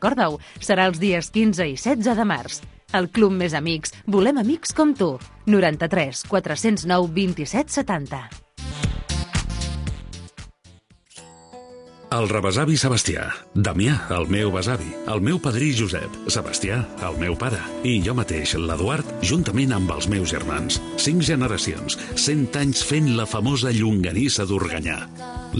recorda-ho, serà els dies 15 i 16 de març. Al Club Més Amics volem amics com tu. 93 409 27 70. El rebesavi Sebastià, Damià, el meu besavi, el meu padrí Josep, Sebastià, el meu pare, i jo mateix, l'Eduard, juntament amb els meus germans. 5 generacions, 100 anys fent la famosa llonganissa d'Organyà.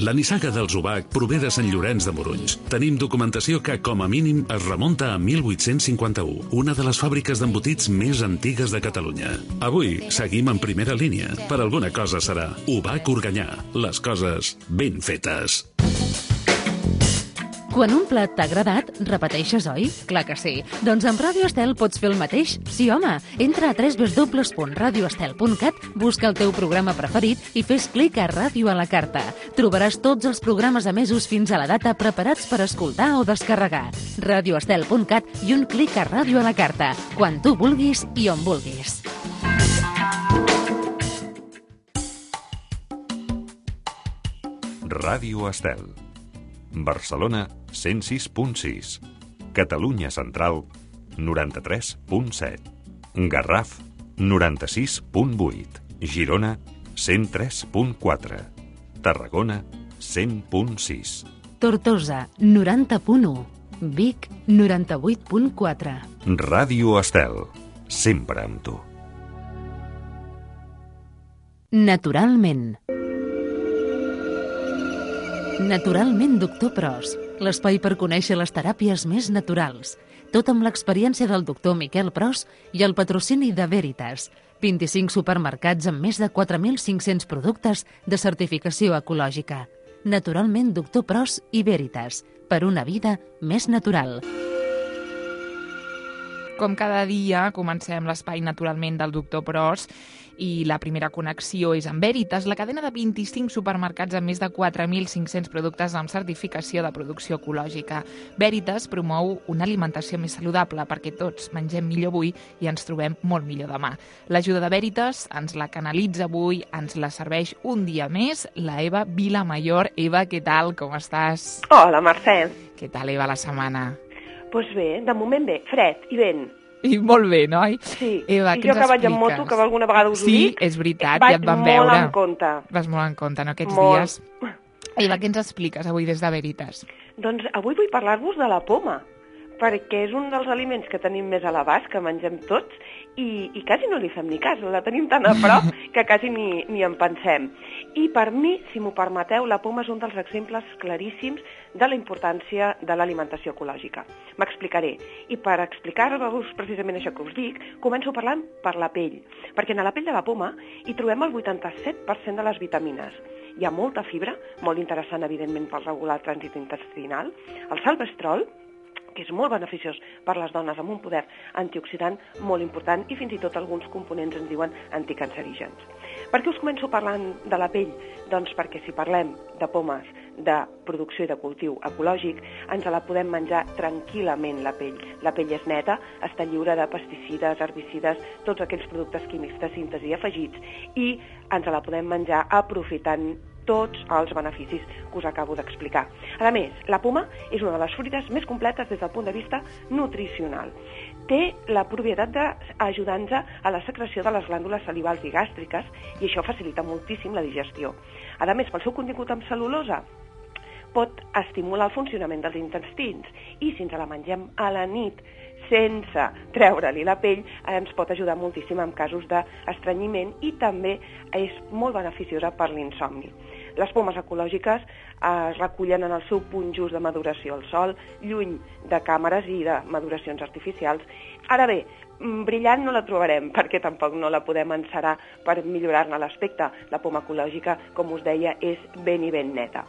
La nissaga dels Ubac prové de Sant Llorenç de Morunys. Tenim documentació que, com a mínim, es remunta a 1851, una de les fàbriques d'embotits més antigues de Catalunya. Avui seguim en primera línia. Per alguna cosa serà Ubac Organyà. Les coses ben fetes. Quan un plat t'ha agradat, repeteixes, oi? Clar que sí. Doncs amb Ràdio Estel pots fer el mateix. Sí, home. Entra a www.radioestel.cat, busca el teu programa preferit i fes clic a Ràdio a la carta. Trobaràs tots els programes emesos fins a la data preparats per escoltar o descarregar. Radioestel.cat i un clic a Ràdio a la carta. Quan tu vulguis i on vulguis. Ràdio Estel. Barcelona 106.6, Catalunya Central 93.7, Garraf 96.8, Girona 103.4, Tarragona 100.6, Tortosa 90.1, Vic 98.4. Ràdio Estel, sempre amb tu. Naturalment. Naturalment, doctor Pros, l'espai per conèixer les teràpies més naturals. Tot amb l'experiència del doctor Miquel Pros i el patrocini de Veritas. 25 supermercats amb més de 4.500 productes de certificació ecològica. Naturalment, doctor Pros i Veritas, per una vida més natural. Com cada dia, comencem l'espai naturalment del doctor Pros i la primera connexió és amb Veritas, la cadena de 25 supermercats amb més de 4.500 productes amb certificació de producció ecològica. Veritas promou una alimentació més saludable perquè tots mengem millor avui i ens trobem molt millor demà. L'ajuda de Veritas ens la canalitza avui, ens la serveix un dia més la Eva Vilamayor. Eva, què tal? Com estàs? Hola, Mercè. Què tal, Eva, la setmana? Doncs bé, de moment bé, fred i vent. I molt bé, noi? Sí, Eva, i jo que vaig en moto, que alguna vegada us ho dic, és veritat, ja et vam veure. Vaig molt en compte. Vas molt en compte, no, aquests molt. dies. Eva, què ens expliques avui des de Veritas? Doncs avui vull parlar-vos de la poma, perquè és un dels aliments que tenim més a l'abast, que mengem tots, i quasi no li fem ni cas, la tenim tan a prop que quasi ni en pensem. I per mi, si m'ho permeteu, la poma és un dels exemples claríssims de la importància de l'alimentació ecològica. M'explicaré. I per explicar-vos precisament això que us dic, començo parlant per la pell, perquè a la pell de la poma hi trobem el 87% de les vitamines. Hi ha molta fibra, molt interessant, evidentment, per regular el trànsit intestinal, el salvestrol, que és molt beneficiós per les dones amb un poder antioxidant molt important i fins i tot alguns components ens diuen anticancerígens. Per què us començo parlant de la pell? Doncs perquè si parlem de pomes, de producció i de cultiu ecològic, ens la podem menjar tranquil·lament la pell. La pell és neta, està lliure de pesticides, herbicides, tots aquells productes químics de síntesi afegits i ens la podem menjar aprofitant tots els beneficis que us acabo d'explicar. A més, la poma és una de les fruites més completes des del punt de vista nutricional. Té la propietat d'ajudar-nos a la secreció de les glàndules salivals i gàstriques i això facilita moltíssim la digestió. A més, pel seu contingut amb cel·lulosa, pot estimular el funcionament dels intestins i si ens la mengem a la nit sense treure-li la pell, ens pot ajudar moltíssim en casos d'estrenyiment i també és molt beneficiosa per l'insomni. Les pomes ecològiques es recullen en el seu punt just de maduració al sol, lluny de càmeres i de maduracions artificials. Ara bé, brillant no la trobarem perquè tampoc no la podem encerar per millorar-ne l'aspecte. La poma ecològica, com us deia, és ben i ben neta.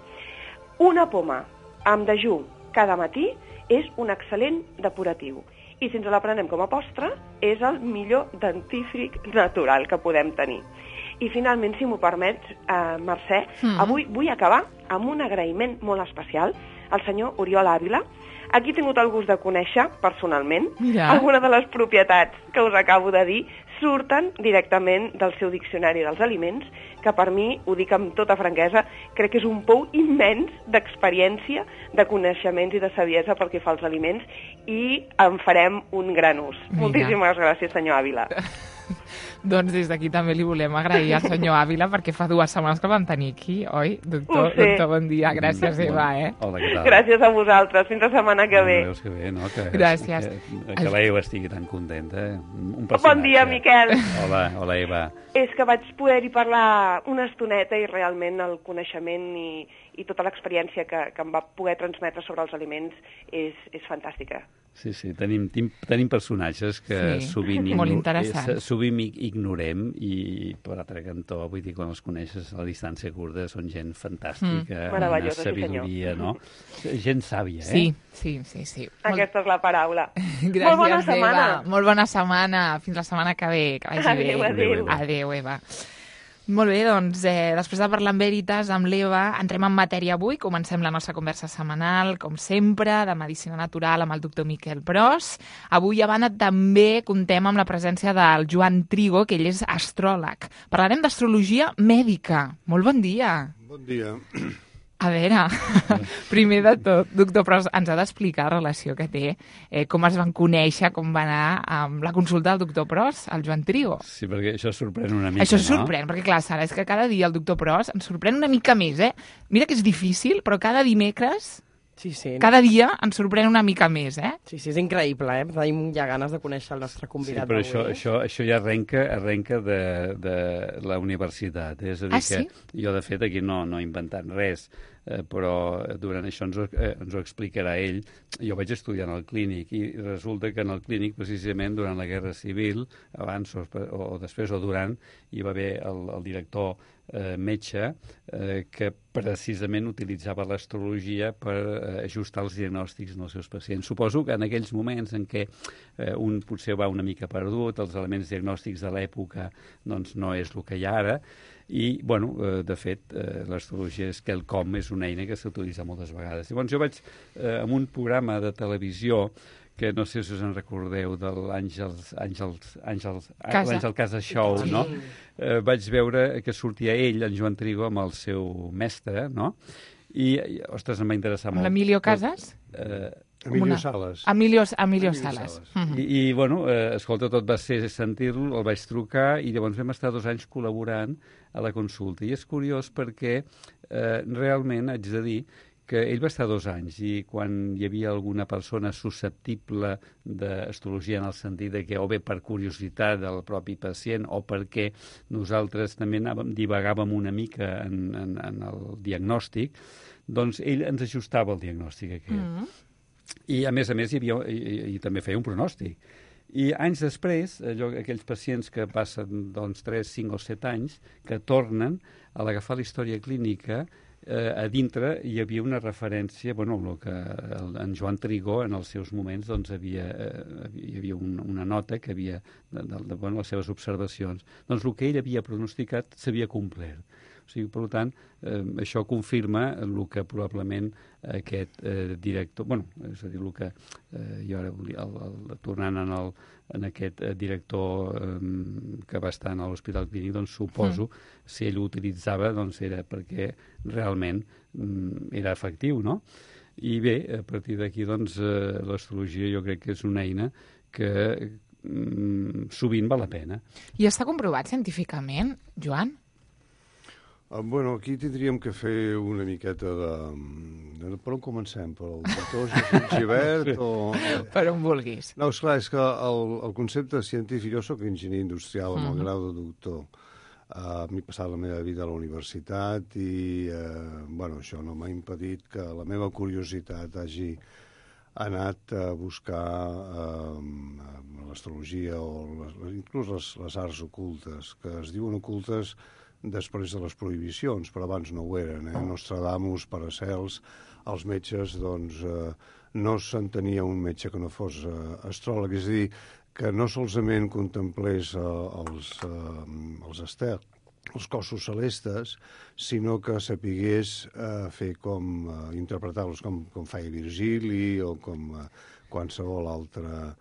Una poma amb dejú cada matí és un excel·lent depuratiu. I si ens la prenem com a postre, és el millor dentífric natural que podem tenir. I finalment, si m'ho permets, Mercè, avui vull acabar amb un agraïment molt especial al senyor Oriol Ávila. Aquí he tingut el gust de conèixer, personalment, alguna de les propietats que us acabo de dir surten directament del seu diccionari dels aliments, que per mi, ho dic amb tota franquesa, crec que és un pou immens d'experiència, de coneixements i de saviesa pel que fa als aliments, i en farem un gran ús. Moltíssimes gràcies, senyor Ávila. Doncs des d'aquí també li volem agrair al senyor Ávila, perquè fa 2 setmanes que el vam tenir aquí, oi? Doctor, bon dia. Gràcies, Eva, Hola, què tal? Gràcies a vosaltres. Fins la setmana que ve. Veus que bé, no? Gràcies. Que l'Eva estigui tan contenta. Bon dia, Miquel. Hola, Eva. És que vaig poder-hi parlar una estoneta i realment el coneixement i tota l'experiència que em va poder transmetre sobre els aliments és fantàstica. Sí, tenim personatges que sovint ignorem i per altre cantó, vull dir, quan els coneixes a la distància curta són gent fantàstica, una sabidoria, no? Gent sàvia, eh? Sí. Aquesta és la paraula. Gràcies, molt bona setmana. Eva. Molt bona setmana. Fins la setmana que ve. Que vagi bé. Adéu, Eva. Molt bé, doncs, després de parlar amb Veritas, amb l'Eva, entrem en matèria avui. Comencem la nostra conversa setmanal, com sempre, de Medicina Natural amb el doctor Miquel Pros. Avui, a banda, també contem amb la presència del Joan Trigo, que ell és astròleg. Parlarem d'astrologia mèdica. Molt bon dia. Bon dia. A veure, primer de tot, doctor Pros, ens ha d'explicar la relació que té, com es van conèixer, com va anar amb la consulta del doctor Pros, el Joan Trigo. Sí, perquè això sorprèn una mica, Això sorprèn, perquè clar, Sara, és que cada dia el doctor Pros ens sorprèn una mica més, Mira que és difícil, però cada dimecres... Sí. Cada dia ens sorprèn una mica més, Sí, és increïble, Tenim ja ganes de conèixer el nostre convidat d'avui. Sí, però això ja arrenca de la universitat. És a dir, que jo, de fet, aquí no he inventat res, però durant això ens ho explicarà ell. Jo vaig estudiar en el clínic i resulta que en el clínic, precisament, durant la Guerra Civil, abans o després o durant, hi va haver el director metge que precisament utilitzava l'astrologia per ajustar els diagnòstics dels seus pacients. Suposo que en aquells moments en què un potser va una mica perdut, els elements diagnòstics de l'època doncs no és el que hi ha ara, i, de fet, l'astrologia és quelcom, és una eina que s'utilitza moltes vegades. Llavors jo vaig, en un programa de televisió, que no sé si us en recordeu, de l'Àngel Casa Show, no? Vaig veure que sortia ell, en Joan Trigo, amb el seu mestre, no? I, ostres, em va interessar molt. L'Emilio Casas? Emilio Sales. Emilio Sales. I escolta, tot va ser sentir-lo, el vaig trucar i llavors vam estar 2 anys col·laborant a la consulta. I és curiós perquè realment haig de dir que ell va estar 2 anys i quan hi havia alguna persona susceptible d'astrologia en el sentit de que o bé per curiositat del propi pacient o perquè nosaltres també divagàvem una mica en el diagnòstic, doncs ell ens ajustava el diagnòstic aquest. I a més hi havia, i també feia un pronòstic. I anys després, aquells pacients que passen 3, 5 o 7 anys, que tornen a l'agafar la història clínica, a dintre hi havia una referència, el que en Joan Trigo en els seus moments hi havia una nota que havia de les seves observacions. Doncs el que ell havia pronosticat s'havia complert. O sigui, per tant, això confirma el que probablement aquest director... és a dir, el que jo ara, tornant en aquest director que va estar a l'Hospital Clínic, doncs suposo, si ell ho utilitzava, doncs era perquè realment era efectiu, no? I bé, a partir d'aquí, doncs, l'astrologia jo crec que és una eina que sovint val la pena. I està comprovat científicament, Joan? Aquí tindríem que fer una miqueta de... Per on comencem? Per el doctor Jesús Givert o... Per on vulguis. No, esclar, és que el concepte científic... Jo soc enginyer industrial amb el grau de doctor. M'he passat la meva vida a la universitat i, això no m'ha impedit que la meva curiositat hagi anat a buscar l'astrologia o inclús les arts ocultes, que es diuen ocultes després de les prohibicions, però abans no ho eren. Nostradamus, Paracels, els metges, doncs, no s'entenia un metge que no fos astròleg. És a dir, que no solament contemplés els estels, els cossos celestes, sinó que sapigués fer interpretar-los com feia Virgili o com qualsevol altre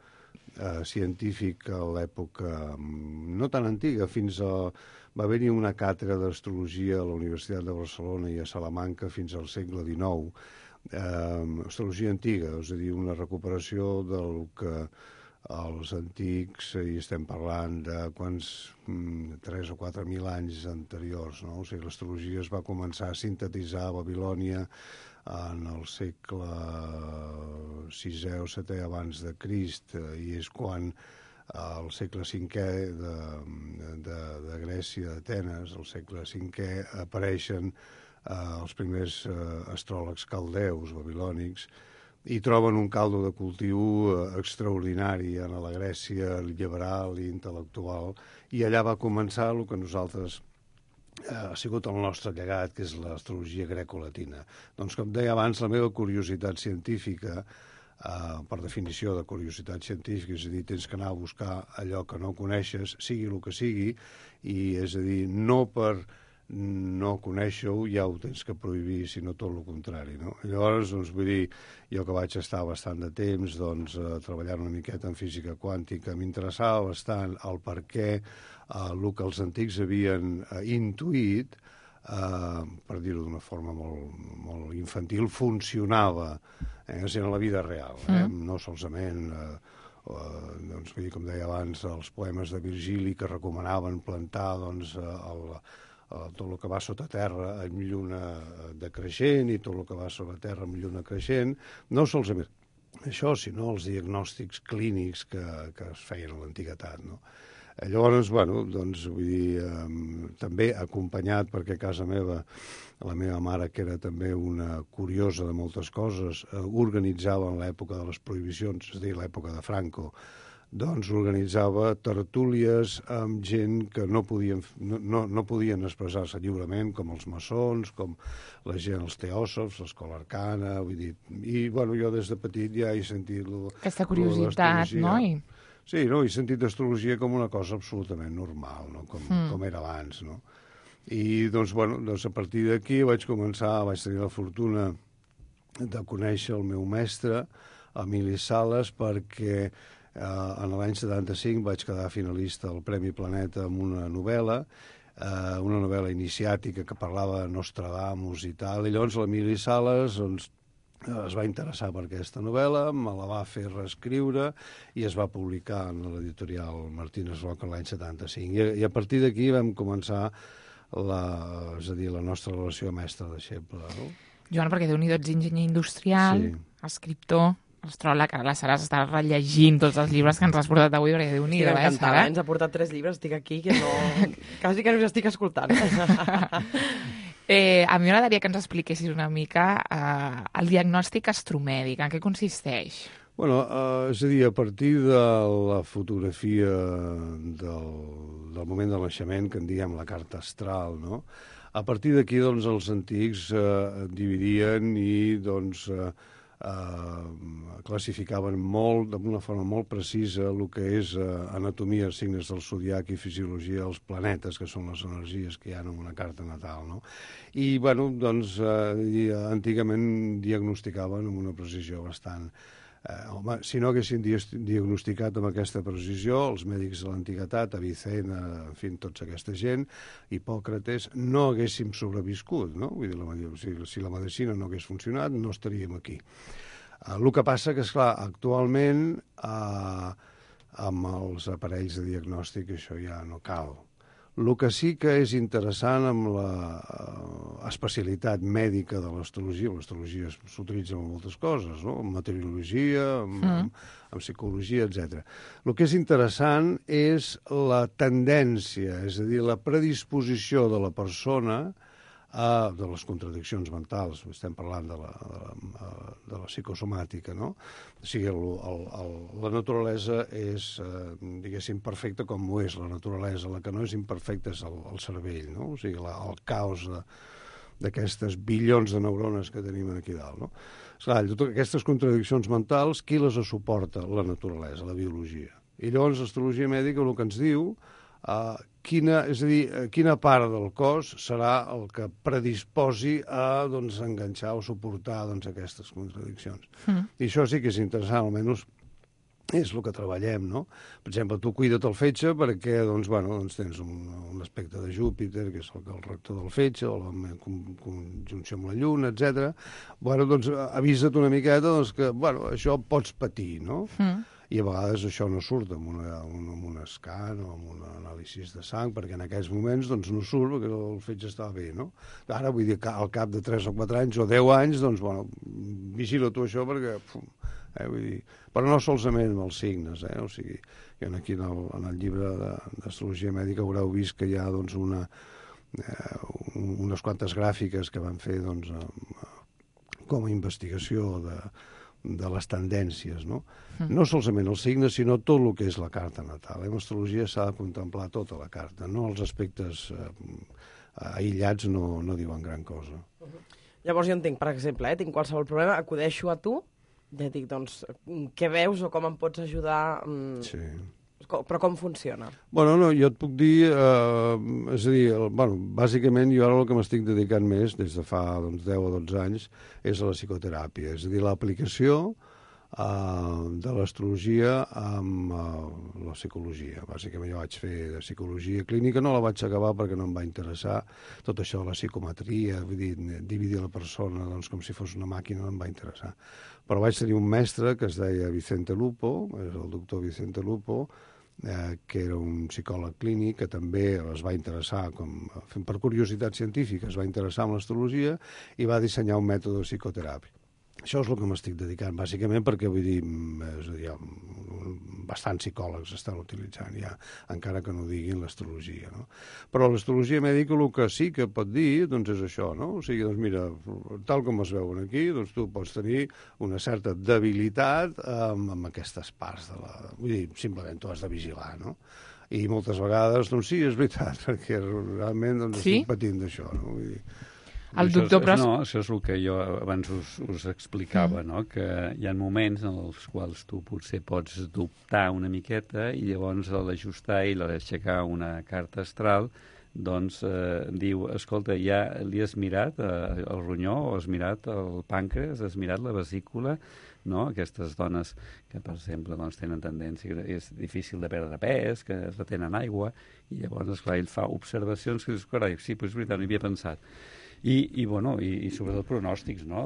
científic a l'època no tan antiga, va haver-hi una càtedra d'astrologia a la Universitat de Barcelona i a Salamanca fins al segle XIX, astrologia antiga, és a dir, una recuperació del que els antics, i estem parlant de quants 3 o 4.000 anys anteriors, no? O sigui, l'astrologia es va començar a sintetitzar a Babilònia en el segle VI o VII abans de Crist, i és quan al segle V de Grècia, d'Atenes, al segle V, apareixen els primers astròlegs caldeus babilònics i troben un caldo de cultiu extraordinari en la Grècia liberal i intel·lectual, i allà va començar el que nosaltres ha sigut el nostre llegat, que és l'astrologia greco-latina. Doncs, com deia abans, la meva curiositat científica, per definició de curiositat científica, és a dir, tens que anar a buscar allò que no coneixes, sigui el que sigui, i és a dir, no per no conèixer-ho ja ho tens que prohibir, sinó tot el contrari, no? Llavors, doncs, vull dir, jo que vaig estar bastant de temps treballant una miqueta en física quàntica, m'interessava bastant el per què el que els antics havien intuït, per dir-ho d'una forma molt infantil, funcionava en la vida real, no solament doncs, vull dir, com deia abans, els poemes de Virgili que recomanaven plantar tot el que va sota terra amb lluna decreixent i tot el que va sobre terra amb lluna creixent, no solament això, sinó els diagnòstics clínics que es feien a l'antiguitat, no? Llavors, bueno, doncs, vull dir, també acompanyat, perquè a casa meva, la meva mare, que era també una curiosa de moltes coses, organitzava en l'època de les prohibicions, és a dir, l'època de Franco, doncs organitzava tertúlies amb gent que no podien expressar-se lliurement, com els maçons, com la gent, els teòsofs, l'escola arcana, vull dir, i, bueno, jo des de petit ja he sentit aquesta curiositat, no? Sí, no? He sentit l'astrologia com una cosa absolutament normal, no? Com era abans, no? I, doncs, bueno, doncs a partir d'aquí vaig tenir la fortuna de conèixer el meu mestre, Emili Sales, perquè en l'any 75 vaig quedar finalista al Premi Planeta amb una novel·la iniciàtica que parlava de Nostradamus i tal, i llavors l'Emili Sales, doncs, es va interessar per aquesta novel·la, me la va fer reescriure i es va publicar en l'editorial Martínez Roca l'any 75. I a partir d'aquí vam començar la nostra relació mestre-deixeble. No? Joan, perquè Déu-n'hi-do, ets enginyer industrial, escriptor, astròleg, ara la Sara està rellegint tots els llibres que ens has portat avui, perquè Déu-n'hi-do, Sara? Ens ha portat 3 llibres, estic aquí, que no... quasi que no us estic escoltant. A mi m'agradaria que ens expliquessis una mica el diagnòstic astromèdic, en què consisteix? Bueno, és a dir, a partir de la fotografia del moment del naixement, que en diem la carta astral, no? A partir d'aquí, doncs, els antics dividien i, doncs, classificaven d'una forma molt precisa el que és anatomia, signes del zodiac i fisiologia dels planetes, que són les energies que hi ha en una carta natal, no? I, bueno, doncs, antigament diagnosticaven amb una precisió bastant... Home, si no haguessin diagnosticat amb aquesta precisió, els mèdics de l'antiguitat, Avicena, en fi, tota aquesta gent, Hipòcrates, no haguéssim sobreviscut, no? Vull dir, si la medicina no hagués funcionat, no estaríem aquí. El que passa que, esclar, actualment, amb els aparells de diagnòstic, això ja no cal. El que sí que és interessant amb l'especialitat mèdica de l'astrologia, l'astrologia s'utilitza en moltes coses, no? En meteorologia, en psicologia, etc. El que és interessant és la tendència, és a dir, la predisposició de la persona de les contradiccions mentals, estem parlant de la psicosomàtica, no? O sigui, la naturalesa és, diguéssim, perfecta com ho és la naturalesa, la que no és imperfecta és el cervell, no? O sigui, el caos d'aquestes bilions de neurones que tenim aquí dalt, no? Esclar, totes aquestes contradiccions mentals, qui les suporta? La naturalesa, la biologia. I llavors l'astrologia mèdica el que ens diu quina part del cos serà el que predisposi a enganxar o suportar aquestes contradiccions. I això sí que és interessant, almenys és el que treballem, no? Per exemple, tu cuida't el fetge perquè, doncs, tens un aspecte de Júpiter, que és el rector del fetge, o la conjunció amb la lluna, etc. Doncs avisa't una miqueta doncs, que, això pots patir, no? I a vegades això no surt amb un escan o amb un anàlisi de sang, perquè en aquells moments doncs, no surt perquè el fetge està bé, no? Ara, vull dir, al cap de 3 o 4 anys o 10 anys, doncs, vigila tu això perquè... vull dir, però no solament amb els signes, o sigui, aquí en el llibre d'astrologia mèdica haureu vist que hi ha doncs, unes quantes gràfiques que van fer doncs, com a investigació de les tendències, no? No solament els signes, sinó tot el que és la carta natal. En astrologia s'ha de contemplar tota la carta, no els aspectes aïllats no diuen gran cosa. Llavors jo entenc, per exemple, tinc qualsevol problema, acudeixo a tu, ja dic, doncs, què veus o com em pots ajudar? Sí. Però com funciona? No, jo et puc dir, és a dir, bàsicament jo ara el que m'estic dedicant més, des de fa 10 o 12 anys, és a la psicoteràpia, és a dir, l'aplicació de l'astrologia amb la psicologia. Bàsicament jo vaig fer de psicologia clínica, no la vaig acabar perquè no em va interessar tot això de la psicometria, vull dir, dividir la persona doncs, com si fos una màquina, no em va interessar. Però vaig tenir un mestre que es deia Vicente Lupo, és el doctor Vicente Lupo, que era un psicòleg clínic que també es va interessar, per curiositat científica, es va interessar en l'astrologia i va dissenyar un mètode de psicoteràpia. Això és el que m'estic dedicant, bàsicament, perquè, vull dir, bastants psicòlegs estan utilitzant ja, encara que no diguin l'astrologia, no? Però l'astrologia mèdica el que sí que pot dir, doncs, és això, no? O sigui, doncs, mira, tal com es veuen aquí, doncs tu pots tenir una certa debilitat amb aquestes parts de la... Vull dir, simplement tu has de vigilar, no? I moltes vegades, doncs sí, és veritat, perquè realment doncs, estic patint d'això, no? Vull dir... El doctor Pros... No, això és el que jo abans us explicava, no? Que hi ha moments en els quals tu potser pots dubtar una miqueta i llavors a l'ajustar i l'aixecar una carta astral doncs diu, escolta, ja li has mirat el ronyó o has mirat el pàncreas, has mirat la vesícula, no? Aquestes dones que, per exemple, doncs, tenen tendència, que és difícil de perdre pes, que retenen aigua, i llavors, esclar, ell fa observacions que dius, carai, sí, però és veritat, no hi havia pensat. I sobretot pronòstics, no?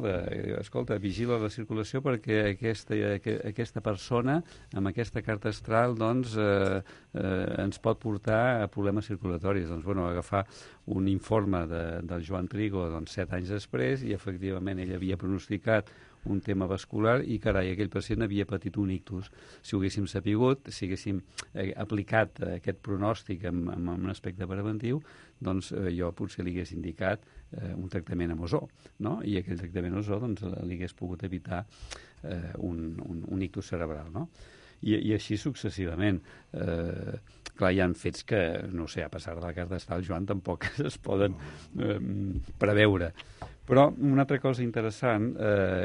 Escolta, vigila la circulació perquè aquesta persona amb aquesta carta astral doncs, ens pot portar a problemes circulatoris. Doncs, agafar un informe del Joan Trigo 7 anys després i efectivament ell havia pronosticat un tema vascular i, carai, aquell pacient havia patit un ictus. Si ho haguéssim sapigut, si haguéssim aplicat aquest pronòstic amb un aspecte preventiu, doncs jo potser li hagués indicat un tractament amb ozó, no? I aquell tractament amb ozó doncs, li hagués pogut evitar un ictus cerebral, no? I així successivament. Clar, hi ha fets que, no sé, a passar de la carta astral, Joan, tampoc es poden preveure. Però una altra cosa interessant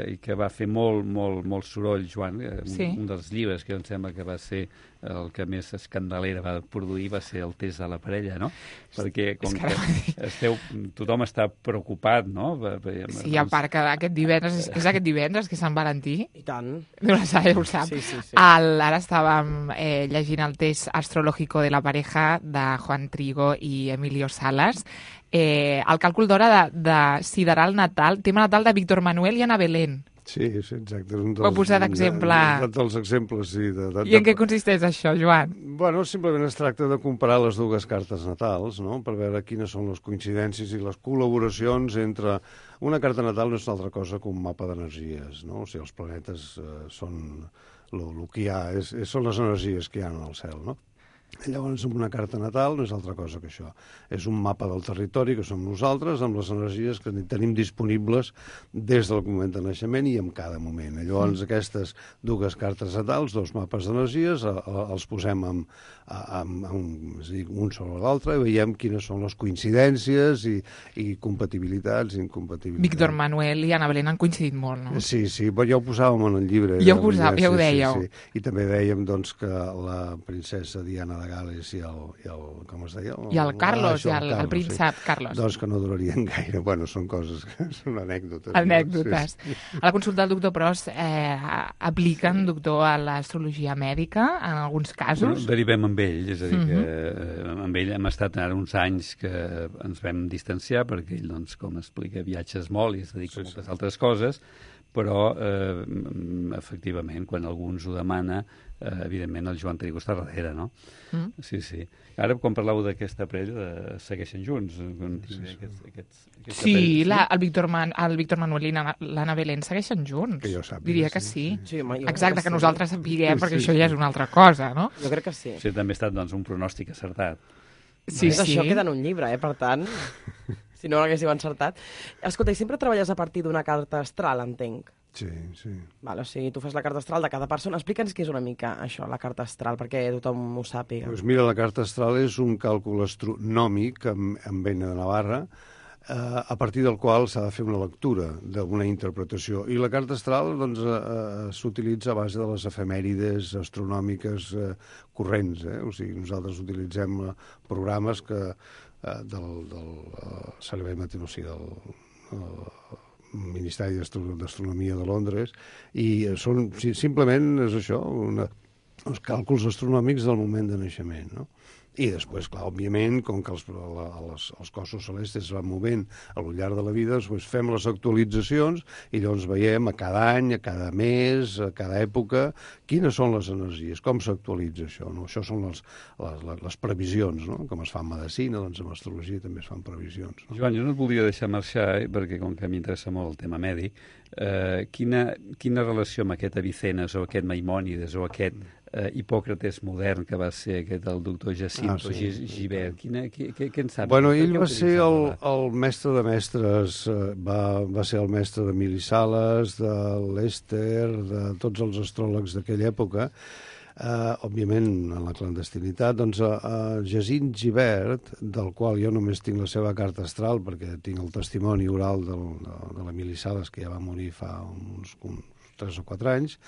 i que va fer molt soroll, Joan, un dels llibres que em sembla que va ser el que més escandalera va produir va ser el test de la parella, no? Perquè com que tothom està preocupat, no? Sí, a part que aquest divendres, és aquest divendres que és Sant Valentí. I tant. No ho sap. Sí. Ara estàvem llegint el test astrològico de la pareja de Juan Trigo i Emilio Salas. El càlcul d'hora de sideral natal, tema natal de Víctor Manuel i Ana Belén. Sí, exacte. Ho he posat d'exemple. Dels exemples, sí. I en què consisteix això, Joan? Simplement es tracta de comparar les dues cartes natals, no?, per veure quines són les coincidències i les col·laboracions entre... Una carta natal no és una altra cosa que un mapa d'energies, no? O sigui, els planetes són el que hi ha, són les energies que hi ha en el cel, no? Llavors, una carta natal no és altra cosa que això. És un mapa del territori que som nosaltres amb les energies que tenim disponibles des del moment de naixement i en cada moment. Llavors, aquestes dues cartes natals, dos mapes d'energies, els posem un sobre l'altre i veiem quines són les coincidències i compatibilitats i incompatibilitats. Víctor Manuel i Ana Belén han coincidit molt, no? Sí, però ja ho posàvem en el llibre. Ja ho dèieu. I també dèiem doncs, que la princesa Diana de Gales i el com es deia? I el Carlos, el príncep Carlos. Doncs que no durarien gaire. Bueno, són coses que són anècdotes. Anècdotes. Sí. A la consulta del doctor Pros apliquen, doctor, a l'astrologia mèdica en alguns casos? Derivem amb ell, és a dir, que amb ell hem estat ara uns anys que ens vam distanciar perquè ell, doncs, com explica, viatges molt i es dedica a moltes altres coses, però, efectivament, quan algú ens ho demana, evidentment el Joan Trigo està darrere, no? Sí. Ara, quan parlàveu d'aquesta parella, segueixen junts? Sí, el Víctor Manuel i l'Anna Belén segueixen junts. Que jo sàpiga, diria que sí. Exacte, que nosaltres sapiguem, perquè això ja és una altra cosa, no? Jo crec que sí. Sí, també ha estat, doncs, un pronòstic acertat. Sí. Això queda en un llibre, per tant, si no l'haguéssiu encertat. Escolta, i sempre treballes a partir d'una carta astral, entenc? Sí. Vale, o sigui, tu fas la carta astral de cada persona. Explica'ns què és una mica això, la carta astral, perquè tothom ho sàpiga. Doncs mira, la carta astral és un càlcul astronòmic amb vena de Navarra, a partir del qual s'ha de fer una lectura d'una interpretació. I la carta astral doncs, s'utilitza a base de les efemèrides astronòmiques corrents. O sigui, nosaltres utilitzem programes del Servei Meteorològic del Ministeri d'Astronomia de Londres, i són simplement és això, els càlculs astronòmics del moment de naixement, no? I després, clar, òbviament, com que els cossos celestes es van movent al llarg de la vida, doncs fem les actualitzacions i llavors veiem a cada any, a cada mes, a cada època, quines són les energies, com s'actualitza això, no? Això són les previsions, no? Com es fa en medicina, doncs en astrologia també es fan previsions. No? Joan, jo no et volia deixar marxar, perquè com que m'interessa molt el tema mèdic, quina relació amb aquest Avicennes o aquest Maimònides o aquest Hipòcrates modern que va ser aquest el doctor Jacinto Gibert, què en saps? Bueno, ell va ser el mestre de mestres, va ser el mestre d'Emili Sales, de Lester, de tots els astròlegs d'aquella època, òbviament en la clandestinitat. Doncs Jacint Gibert, del qual jo només tinc la seva carta astral perquè tinc el testimoni oral de l'Emili Sales, que ja va morir fa uns 3 o 4 anys,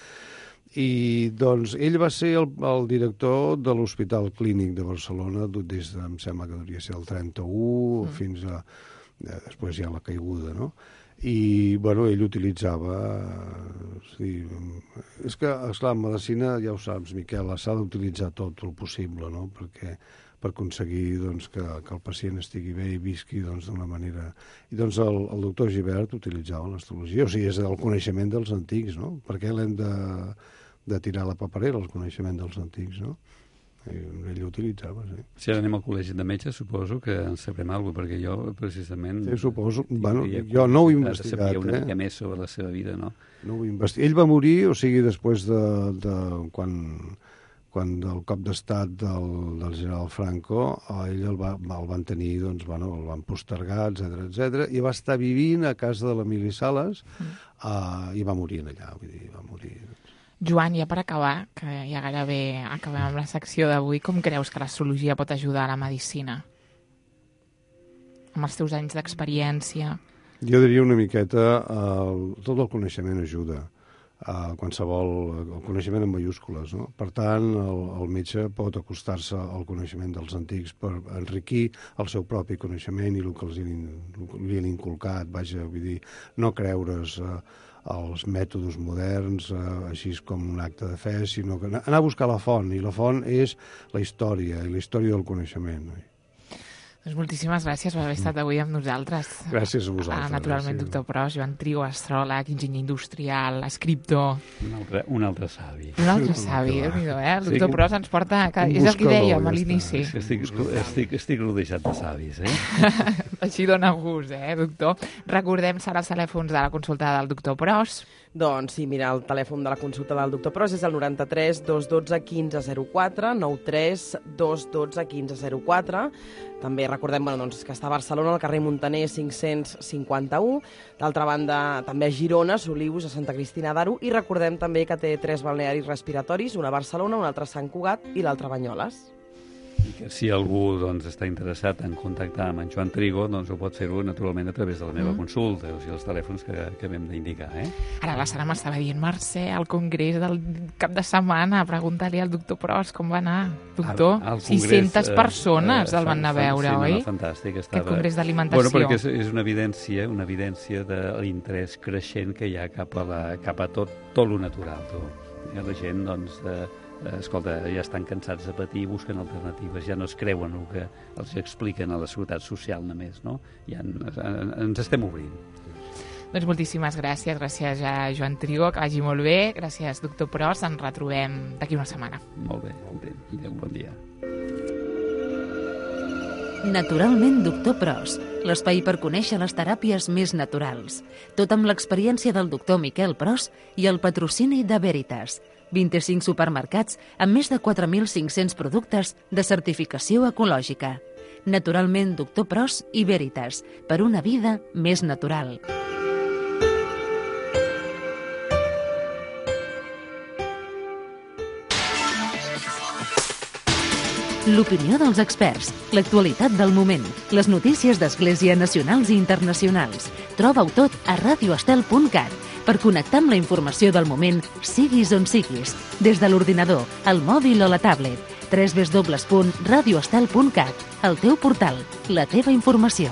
i doncs ell va ser el director de l'Hospital Clínic de Barcelona des de, em sembla que devia ser el 31 fins a després ja la caiguda, no? I, bueno, ell utilitzava... És que, esclar, en medicina, ja ho saps, Miquel, s'ha d'utilitzar tot el possible, no? Per aconseguir doncs, que el pacient estigui bé i visqui d'una manera... I doncs el doctor Gibert utilitzava l'astrologia, o sigui, és el coneixement dels antics, no? Per què l'hem de tirar a la paperera, el coneixement dels antics, no? Ell ho utilitzava, sí. Si ara anem al col·legi de metges, suposo que en sabrem alguna cosa, perquè jo, precisament... Sí, suposo. Bueno, jo no ho he investigat, sabia una mica més sobre la seva vida, no? No ho he investigat. Ell va morir, o sigui, després de quan del cop d'estat del general Franco, ell el van tenir, doncs, bueno, el van postergar, etc, i va estar vivint a casa de l'Emili Sales i va morir allà, vull dir, va morir... Joan, ja per acabar, que ja gairebé acabem amb la secció d'avui, com creus que l'astrologia pot ajudar a la medicina? Amb els teus anys d'experiència? Jo diria una miqueta, tot el coneixement ajuda. El coneixement en majúscules, no? Per tant, el metge pot acostar-se al coneixement dels antics per enriquir el seu propi coneixement i el que li han inculcat, vaja, vull dir, no creure's els mètodes moderns, així com un acte de fe, sinó que anar a buscar la font, i la font és la història, i la història del coneixement. Doncs moltíssimes gràcies per haver estat avui amb nosaltres. Gràcies a vosaltres. Naturalment, doctor Pros, Joan Trigo, astròleg, enginyer industrial, escriptor... Un altre savi. Un altre savi, Déu-n'hi-do, eh? El doctor Pros ens porta... És el que dèiem a l'inici. Estic rodejat de savis, eh? Així dona gust, doctor? Recordem, Sara, els telèfons de la consulta del doctor Pros. Doncs sí, mira, el telèfon de la consulta del doctor Pros és el 93 212 1504, 93 212 1504. També recordem que està a Barcelona, al carrer Muntaner 551. D'altra banda, també a Girona, Solius, a Santa Cristina d'Aro. I recordem també que té 3 balnearis respiratoris, una a Barcelona, un altre a Sant Cugat i l'altre a Banyoles. que si algú doncs, està interessat en contactar amb en Joan Trigo, doncs ho pot fer-ho naturalment a través de la meva consulta, o sigui, els telèfons que m'hem d'indicar. Ara la Sara m'estava dient, Mercè, al congrés del cap de setmana, pregunta-li al doctor Pros com va anar. Doctor, al congrés, 600 persones el van anar a veure, oi? Fantàstic. Aquest congrés d'alimentació. Bueno, perquè és una evidència de l'interès creixent que hi ha cap a tot lo natural. La gent, doncs, escolta, ja estan cansats de patir, busquen alternatives, ja no es creuen el que els expliquen a la Seguretat Social només, no? Ja ens estem obrint. Doncs moltíssimes gràcies a Joan Trigo, que vagi molt bé, gràcies doctor Pros, ens retrobem d'aquí una setmana. Molt bé, bon dia. Naturalment, doctor Pros, l'espai per conèixer les teràpies més naturals. Tot amb l'experiència del doctor Miquel Pros i el patrocini de Veritas. 25 supermercats amb més de 4.500 productes de certificació ecològica. Naturalment, doctor Pros i Veritas, per una vida més natural. L'opinió dels experts, l'actualitat del moment, les notícies d'Església nacionals i internacionals. Troba-ho tot a radioestel.cat per connectar amb la informació del moment, siguis on siguis, des de l'ordinador, el mòbil o la tablet. www.radioestel.cat, el teu portal, la teva informació.